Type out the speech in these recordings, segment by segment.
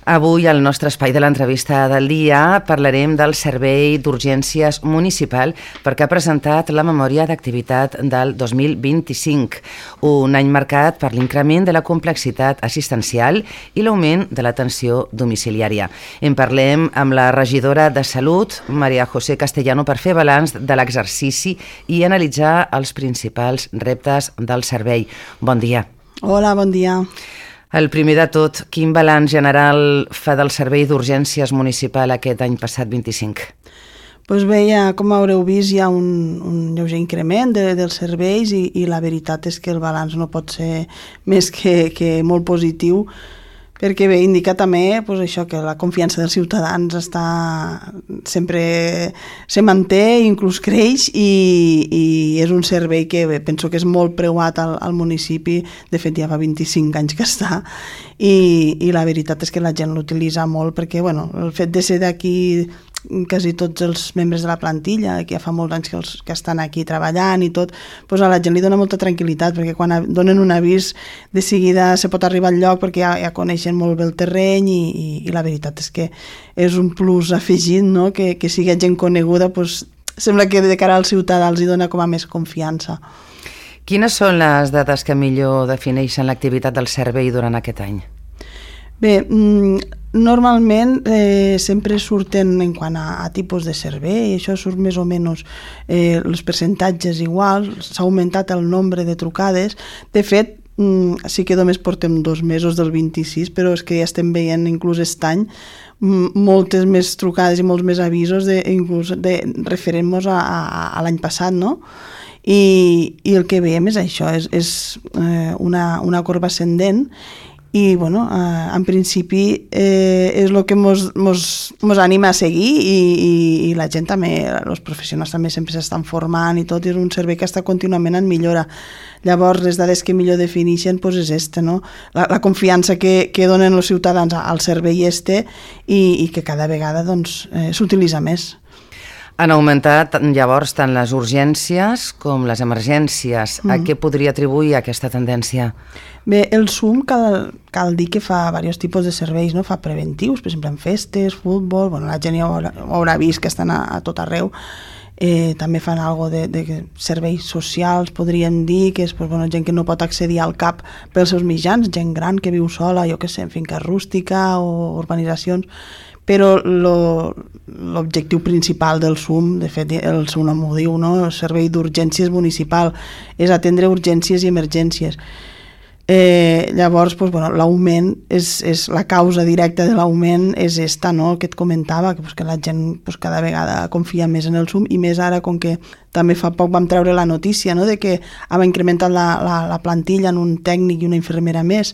Avui, al nostre espai de l'entrevista del dia, parlarem del Servei d'Urgències Municipal perquè ha presentat la memòria d'activitat del 2025, un any marcat per l'increment de la complexitat assistencial i l'augment de l'atenció domiciliària. En parlem amb la regidora de Salut, Maria José Castellano, per fer balanç de l'exercici i analitzar els principals reptes del servei. Bon dia. Hola, bon dia. El primer de tot, quin balanç general fa del Servei d'Urgències Municipal aquest any passat 25? Doncs bé, com haureu vist, hi ha un lleuger increment dels serveis i la veritat és que el balanç no pot ser més que molt positiu, perquè bé, indica també això, que la confiança dels ciutadans sempre se manté, inclús creix, i és un servei que penso que és molt preuat al municipi. De fet, ja fa 25 anys que està, i la veritat és que la gent l'utilitza molt, perquè el fet de ser d'aquí, quasi tots els membres de la plantilla, que ja fa molts anys que estan aquí treballant i tot, doncs a la gent li dona molta tranquil·litat, perquè quan donen un avís de seguida se pot arribar al lloc perquè ja coneixen molt bé el terreny, i la veritat és que és un plus afegit, no? Que sigui gent coneguda, doncs sembla que de cara al ciutadà els hi dona com a més confiança. Quines són les dades que millor defineixen l'activitat del servei durant aquest any? Bé, normalment sempre surten en quant a tipus de servei, això surt més o menys els percentatges iguals, s'ha augmentat el nombre de trucades. De fet, sí que només portem 2 mesos del 26, però és que ja estem veient inclús aquest any moltes més trucades i molts més avisos inclús referent-nos a l'any passat, no? I el que veiem és això, és una corba ascendent. I, en principi és el que mos anima a seguir, i la gent també, els professionals també sempre s'estan formant i tot, i és un servei que està contínuament en millora. Llavors, les dades que millor defineixen és aquesta, no? La confiança que donen els ciutadans al servei i que cada vegada s'utilitza més. Han augmentat llavors tant les urgències com les emergències. A què podria atribuir aquesta tendència? Bé, el SUM cal dir que fa diversos tipus de serveis, no? Fa preventius, per exemple en festes, futbol, la gent ja ho haurà vist que estan a tot arreu. També fan alguna cosa de serveis socials, podríem dir, que és gent que no pot accedir al CAP pels seus mitjans, gent gran que viu sola, jo què sé, en finca rústica o urbanitzacions. Però l'objectiu principal del SUM, de fet el seu nom ho diu, no? El Servei d'Urgències Municipal, és atendre urgències i emergències. Llavors, l'augment, és la causa directa de l'augment és esta, no? Que et comentava, que la gent cada vegada confia més en el SUM, i més ara, com que també fa poc vam treure la notícia, no? De que hem incrementat la plantilla en un tècnic i una infermera més,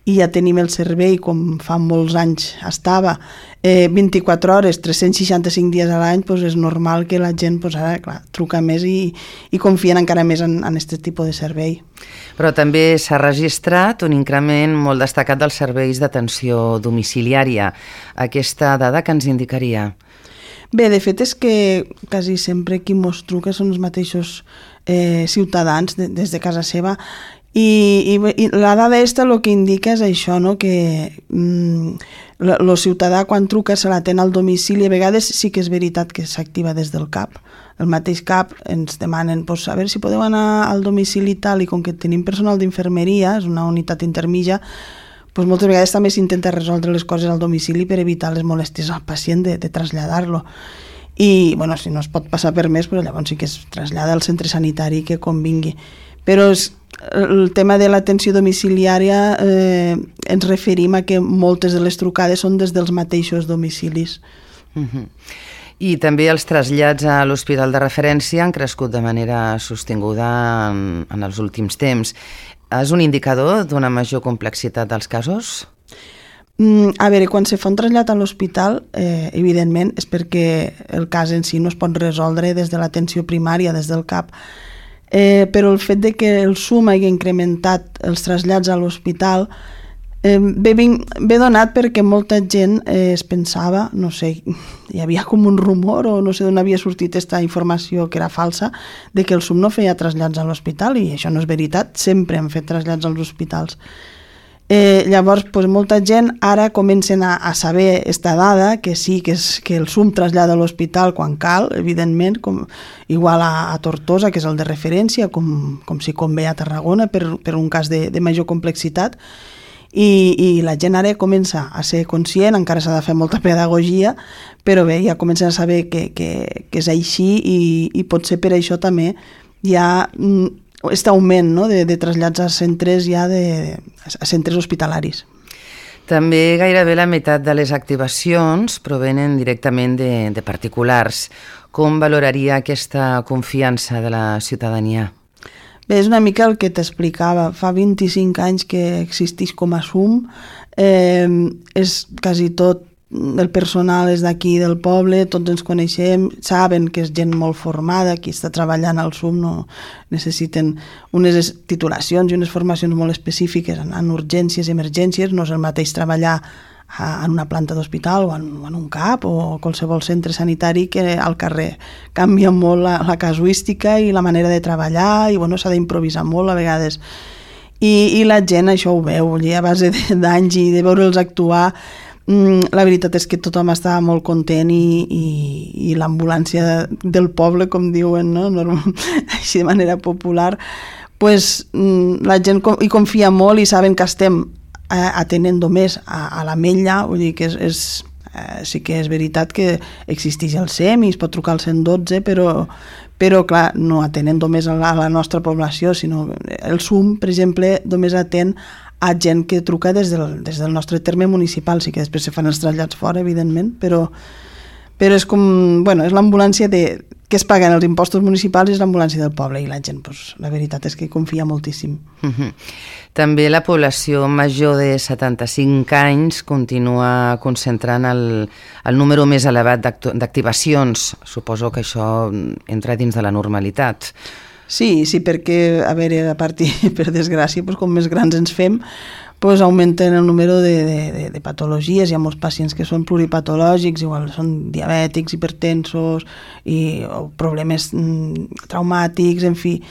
i ja tenim el servei, com fa molts anys estava, 24 hores, 365 dies a l'any, és normal que la gent ara, clar, truca més i confien encara més en aquest tipus de servei. Però també s'ha registrat un increment molt destacat dels serveis d'atenció domiciliària. Aquesta dada que ens indicaria? Bé, de fet és que quasi sempre qui mos truca són els mateixos ciutadans des de casa seva, i la dada el que indica és això, no? Que el ciutadà quan truca se l'atén al domicili. A vegades sí que és veritat que s'activa des del CAP. El mateix CAP ens demanen a veure si podeu anar al domicili i tal, i com que tenim personal d'infermeria, és una unitat intermitja, moltes vegades també s'intenta resoldre les coses al domicili per evitar les molèsties al pacient de traslladar-lo. I si no es pot passar per més, llavors sí que es trasllada al centre sanitari que convingui. Però el tema de l'atenció domiciliària ens referim a que moltes de les trucades són des dels mateixos domicilis. I també els trasllats a l'hospital de referència han crescut de manera sostinguda en els últims temps. És un indicador d'una major complexitat dels casos? A veure, quan se fa un trasllat a l'hospital, evidentment és perquè el cas en si no es pot resoldre des de l'atenció primària, des del CAP. Però el fet de que el SUM hagi incrementat els trasllats a l'hospital ve donat perquè molta gent es pensava, no sé, hi havia com un rumor o no sé d'on havia sortit aquesta informació que era falsa, de que el SUM no feia trasllats a l'hospital, i això no és veritat, sempre han fet trasllats als hospitals. Llavors, molta gent ara comencen a saber esta dada, que sí, que el SUM trasllada a l'hospital quan cal, evidentment, igual a Tortosa, que és el de referència, com si convé a Tarragona, per un cas de major complexitat, i la gent ara comença a ser conscient, encara s'ha de fer molta pedagogia, però bé, ja comencen a saber que és així, i potser per això també hi ha aquest augment, no?, de trasllats a centres a centres hospitalaris. També gairebé la meitat de les activacions provenen directament de particulars. Com valoraria aquesta confiança de la ciutadania? Bé, és una mica el que t'explicava. Fa 25 anys que existeix com a SUM, és quasi tot el personal és d'aquí del poble, tots ens coneixem, saben que és gent molt formada, qui està treballant al SUM no necessiten unes titulacions i unes formacions molt específiques en urgències i emergències, no és el mateix treballar en una planta d'hospital o en un CAP o qualsevol centre sanitari que al carrer. Canvia molt la casuística i la manera de treballar i s'ha d'improvisar molt a vegades. I la gent això ho veu, a base d'anys i de veure'ls actuar. La veritat és que tothom estava molt content i l'ambulància del poble, com diuen, no? Així de manera popular, la gent hi confia molt i saben que estem atenent només a l'Ametlla, vull dir que sí que és veritat que existeix el SEM i es pot trucar al 112, però clar, no atenen només a la nostra població, sinó el SUM, per exemple, només atén a gent que truca des del nostre terme municipal, sí que després se fan els trasllats fora, evidentment, però és com, és l'ambulància que es paguen els impostos municipals i és l'ambulància del poble, i la gent, la veritat és que confia moltíssim. També la població major de 75 anys continua concentrant el número més elevat d'activacions. Suposo que això entra dins de la normalitat. Sí, perquè, a veure, a partir, per desgràcia, com més grans ens fem, augmenten el número de patologies. Hi ha molts pacients que són pluripatològics, igual són diabètics, hipertensos, o problemes traumàtics, en fi,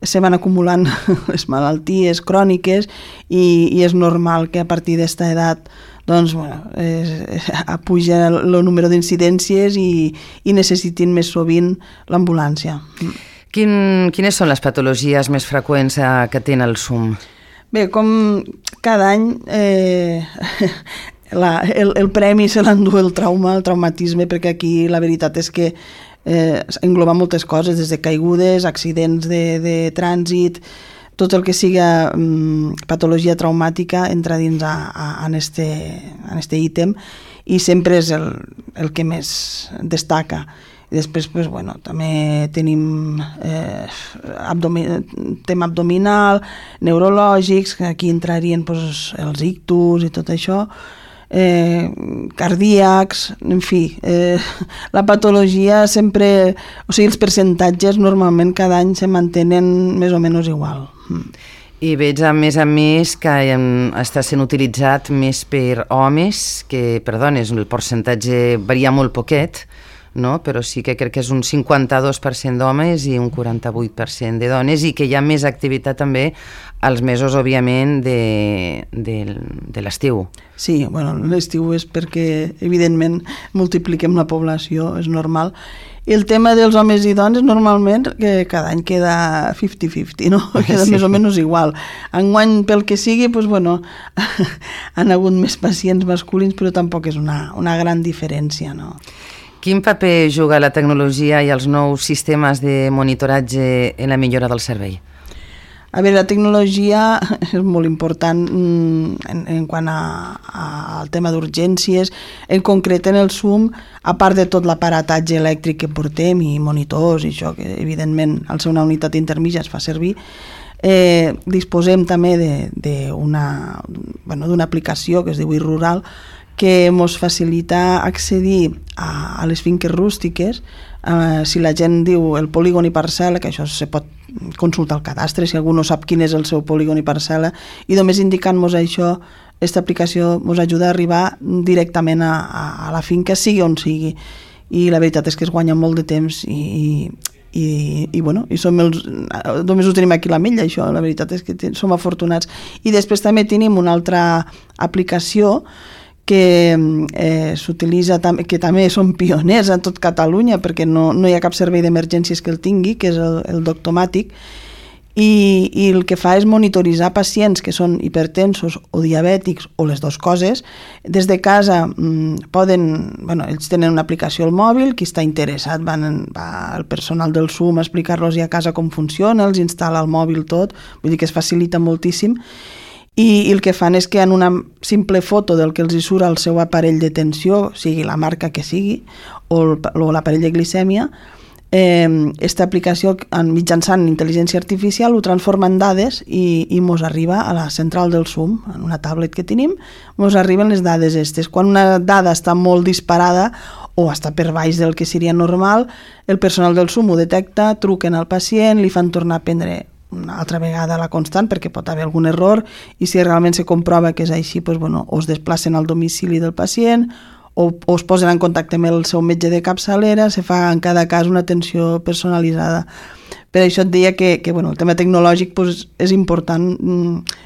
se van acumulant les malalties cròniques i és normal que a partir d'esta edat puja el número d'incidències i necessitin més sovint l'ambulància. Quines són les patologies més freqüents que tenen el SUM? Bé, com cada any el premi se l'endú el traumatisme, perquè aquí la veritat és que engloba moltes coses, des de caigudes, accidents de trànsit, tot el que siga patologia traumàtica entra dins en este ítem i sempre és el que més destaca. I després, també tenim tema abdominal, neurològics, que aquí entrarien els ictus i tot això, cardíacs, en fi, la patologia sempre, els percentatges normalment cada any se mantenen més o menys igual. I veig a més que està sent utilitzat més per homes que per dones. El percentatge varia molt poquet, no? Però sí que crec que és un 52% d'homes i un 48% de dones, i que hi ha més activitat també als mesos, òbviament, de l'estiu. Sí, l'estiu és perquè, evidentment, multipliquem la població, és normal. I el tema dels homes i dones, normalment, que cada any queda 50-50, no? Queda més o menys igual. Enguany, pel que sigui, han hagut més pacients masculins, però tampoc és una gran diferència, no? Quin paper juga la tecnologia i els nous sistemes de monitoratge en la millora del servei? A veure, la tecnologia és molt important en quant al tema d'urgències. En concret, en el SUM, a part de tot l'aparatatge elèctric que portem i monitors i això, que evidentment al ser una unitat intermitja es fa servir, disposem també d'una aplicació que es diu iRural, que ens facilita accedir a les finques rústiques. Si la gent diu el polígon i parcel·la, que això se pot consultar al cadastre, si algú no sap quin és el seu polígon i parcel·la, i només indicant-nos això, aquesta aplicació ens ajuda a arribar directament a la finca, sigui on sigui. I la veritat és que es guanya molt de temps i i només ho tenim aquí a l'Ametlla, això, la veritat és que som afortunats. I després també tenim una altra aplicació que s'utilitza, que també són pioners a tot Catalunya, perquè no hi ha cap servei d'emergències que el tingui, que és el Doctomàtic, i el que fa és monitoritzar pacients que són hipertensos o diabètics o les dues coses. Des de casa ells tenen una aplicació al mòbil, qui està interessat va al personal del SUM a explicar-los a casa com funciona, els instal·la al mòbil tot, vull dir que es facilita moltíssim. I el que fan és que en una simple foto del que els hi surt al seu aparell de tensió, sigui la marca que sigui, o l'aparell de glicèmia, aquesta aplicació mitjançant intel·ligència artificial ho transforma en dades i mos arriba a la central del SUM, en una tablet que tenim, mos arriben les dades aquestes. Quan una dada està molt disparada o està per baix del que seria normal, el personal del SUM ho detecta, truquen al pacient, li fan tornar a prendre una altra vegada la constant perquè pot haver algun error, i si realment se comprova que és així, o es desplacen al domicili del pacient o es posen en contacte amb el seu metge de capçalera, se fa en cada cas una atenció personalitzada. Per això et deia que el tema tecnològic és important,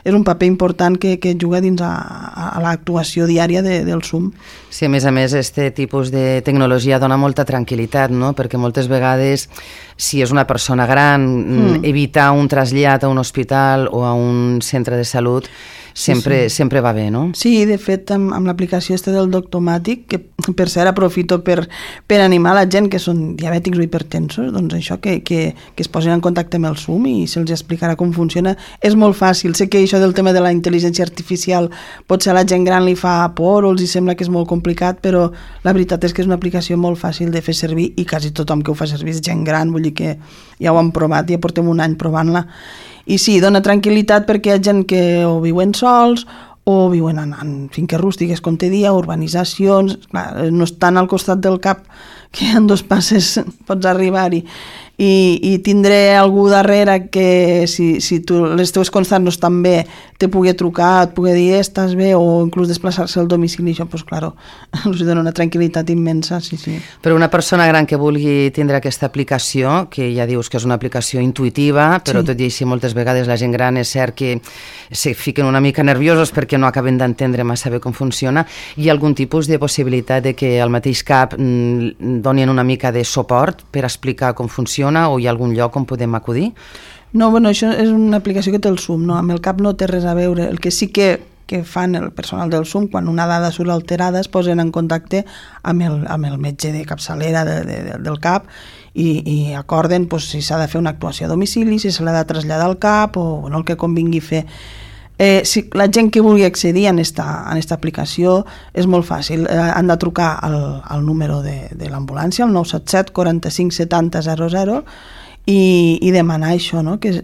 és un paper important que juga dins a l'actuació diària del SUM. Sí, a més, este tipus de tecnologia dona molta tranquil·litat, no? Perquè moltes vegades, si és una persona gran, evitar un trasllat a un hospital o a un centre de salut sempre va bé, no? Sí, de fet, amb l'aplicació del Doctomàtic, que per cert aprofito per animar la gent que són diabètics o hipertensos, doncs això, que es posin en contacte amb el SUM i se'ls explicarà com funciona. És molt fàcil. Sé que això del tema de la intel·ligència artificial potser a la gent gran li fa por o els sembla que és molt complicat, però la veritat és que és una aplicació molt fàcil de fer servir i quasi tothom que ho fa servir és gent gran, vull dir que ja ho hem provat, ja portem un any provant-la. I sí, dona tranquil·litat perquè hi ha gent que o viuen sols o viuen en finques rústiques, com te dia, urbanitzacions, clar, no estan al costat del cap, que en 2 passes pots arribar-hi. I tindré algú darrere que si les teves constants no estan bé te pugui trucar, et pugui dir estàs bé, o inclús desplaçar-se al domicili, això doncs claro, us dona una tranquil·litat immensa, sí. Però una persona gran que vulgui tindre aquesta aplicació, que ja dius que és una aplicació intuïtiva, però tot i així moltes vegades la gent gran és cert que se fiquen una mica nerviosos perquè no acaben d'entendre massa bé com funciona, hi ha algun tipus de possibilitat de que al mateix cap donin una mica de suport per explicar com funciona, o hi ha algun lloc on podem acudir? No, això és una aplicació que té el SUM, no? Amb el CAP no té res a veure. El que sí que fan el personal del SUM, quan una dada surt alterada, es posen en contacte amb el metge de capçalera del CAP i acorden si s'ha de fer una actuació a domicili, si se l'ha de traslladar al CAP o el que convingui fer. Si la gent que vulgui accedir a aquesta aplicació és molt fàcil, han de trucar al número de l'ambulància, al 977 45 70 00, i demanar això, no? que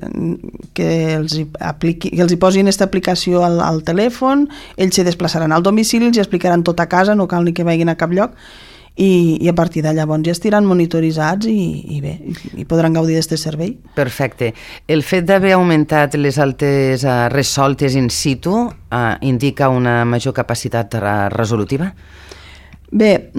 els hi posin aquesta aplicació al telèfon, ells se desplaçaran al domicili, els hi explicaran tot a casa, no cal ni que vagin a cap lloc, i a partir de llavors ja estiran monitoritzats i bé, i podran gaudir d'aquest servei. Perfecte. El fet d'haver augmentat les altes resoltes in situ indica una major capacitat resolutiva? Bé,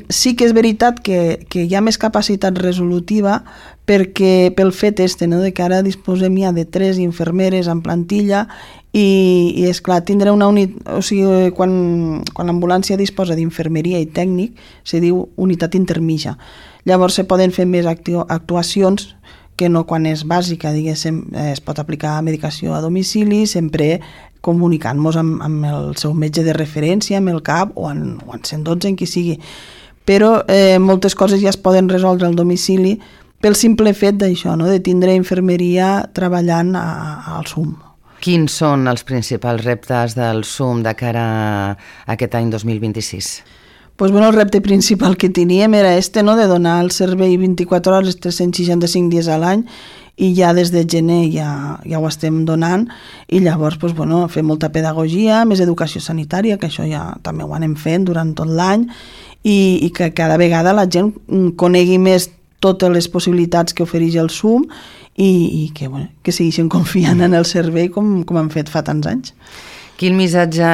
sí que és veritat que hi ha més capacitat resolutiva perquè pel fet de que ara disposem ja de 3 infermeres en plantilla i esclar, tindrà una unitat, o sigui, quan l'ambulància disposa d'infermeria i tècnic, se diu unitat intermitja. Llavors se poden fer més actuacions que no quan és bàsica, diguéssim, es pot aplicar medicació a domicili, sempre comunicant-nos amb el seu metge de referència, amb el CAP o en 112, en qui sigui. Però moltes coses ja es poden resoldre al domicili pel simple fet d'això, no? De tindre infermeria treballant al SUM. Quins són els principals reptes del SUM de cara a aquest any 2026? El repte principal que teníem era no? De donar el servei 24 hores, 365 dies a l'any, i ja des de gener ja ho estem donant, i llavors fer molta pedagogia, més educació sanitària, que això ja també ho anem fent durant tot l'any, i que cada vegada la gent conegui més totes les possibilitats que ofereix el SUM i que segueixen confiant en el servei com han fet fa tants anys. Quin missatge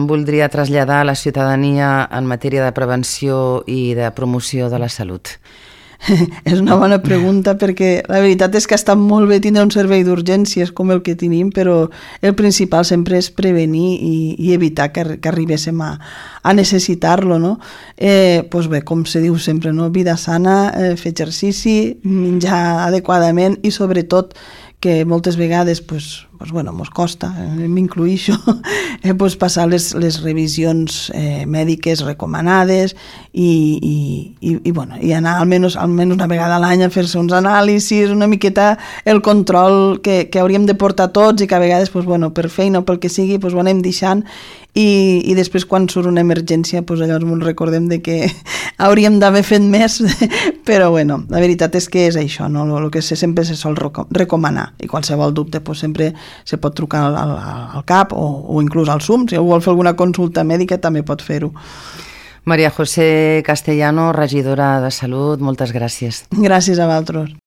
voldria traslladar a la ciutadania en matèria de prevenció i de promoció de la salut? És una bona pregunta perquè la veritat és que està molt bé tindre un servei d'urgències com el que tenim, però el principal sempre és prevenir i evitar que arribéssim a necessitar-lo, no? Doncs bé, com se diu sempre, no? Vida sana, fer exercici, menjar adequadament i sobretot que moltes vegades mos costa, m'incluïxo, passar les revisions mèdiques recomanades i anar almenys una vegada a l'any a fer-se uns anàlisis, una miqueta el control que hauríem de portar tots i que a vegades per feina o pel que sigui ho anem deixant i després quan surt una emergència llavors ens recordem de que hauríem d'haver fet més, però la veritat és que és això, no? El que sempre se sol recomanar i qualsevol dubte sempre se pot trucar al CAP o inclús al SUM, si algú vol fer alguna consulta mèdica també pot fer-ho. María José Castellano, regidora de Salut, moltes gràcies. Gràcies a vosaltres.